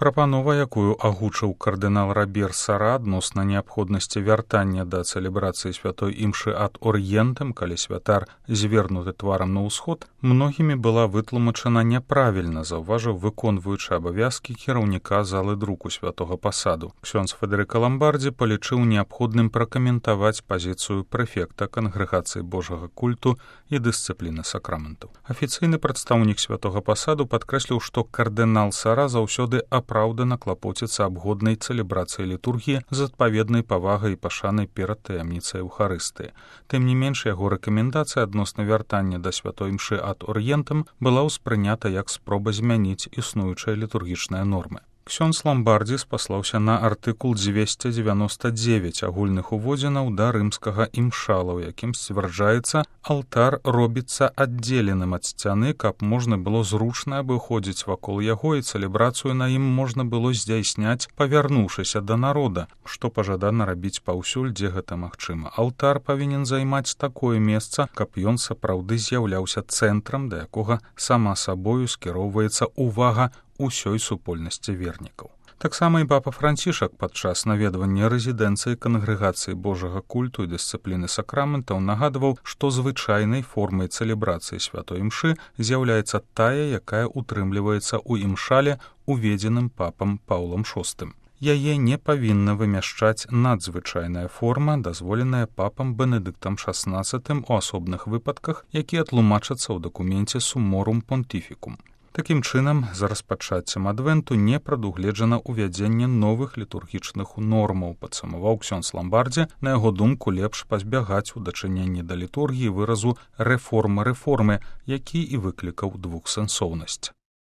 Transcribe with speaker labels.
Speaker 1: Прапанова, якую агучыў кардынал Рабер Сара адносна неабходнасці вяртання да цэлебрацыі святой імшы ад орыентам, калі святар звернуты тварам на ўсход, многімі была вытлумачана няправільна, заўважыў выконваючы абавязкі кіраўніка залы друку святога пасаду. Ксёндз Федэрыка Ламбардзі палічыў неабходным пракаментаваць пазіцыю прэфекта кангрэгацыі Божага культу і дысцыпліны сакраментаў. Афіцыйны прадстаўнік святога пасаду падкрэсліў, што кардынал Сара заўсёды апраўдана клапоціцца аб годнай цэлебрацыі літургіі з адпаведнай павагай і пашанай перад таямніцай Еўхарыстыі. Тым не менш, яго рэкамендацыя адносна вяртання да святой імшы ад орыентам была ўспрынята як спроба змяніць існуючыя літургічныя нормы. Ксёндз Ламбардзі спаслаўся на артыкул 299 агульных уводзінаў да рымскага імшала, у якім сцвярджаецца, алтар робіцца аддзеленым ад сцяны, каб можна было зручна абыходзіць вакол яго і цэлебрацыю на ім можна было здзяйсняць, павярнуўшыся да народа, што пажадана рабіць паўсюль, дзе гэта магчыма. Алтар павінен займаць такое месца, каб ён сапраўды з'яўляўся цэнтрам, да якога сама сабою скіроўваецца увага усёй супольнасці вернікаў. Таксама і папа Францішак падчас наведвання рэзідэнцыі кангрэгацыі Божага культу і дысцыпліны сакраментаў нагадваў, што звычайнай формай цэлебрацыі святой імшы з'яўляецца тая, якая утрымліваецца ў імшале, уведзеным папам Паўлам VI. Яе не павінна вымяшчаць надзвычайная форма, дазволеная папам Бенедыктам XVI у асобных выпадках, якія тлумачацца ў дакуменце Summorum Pontificum. Такім чынам, за распачаццем адвенту не прадугледжана ўвядзенне новых літургічных нормаў, падсумаваў ксёндз Ламбардзі. На яго думку, лепш пазбягаць у дачыненні да літургіі выразу рэформы, які і выклікаў двухсэнсоўнасць.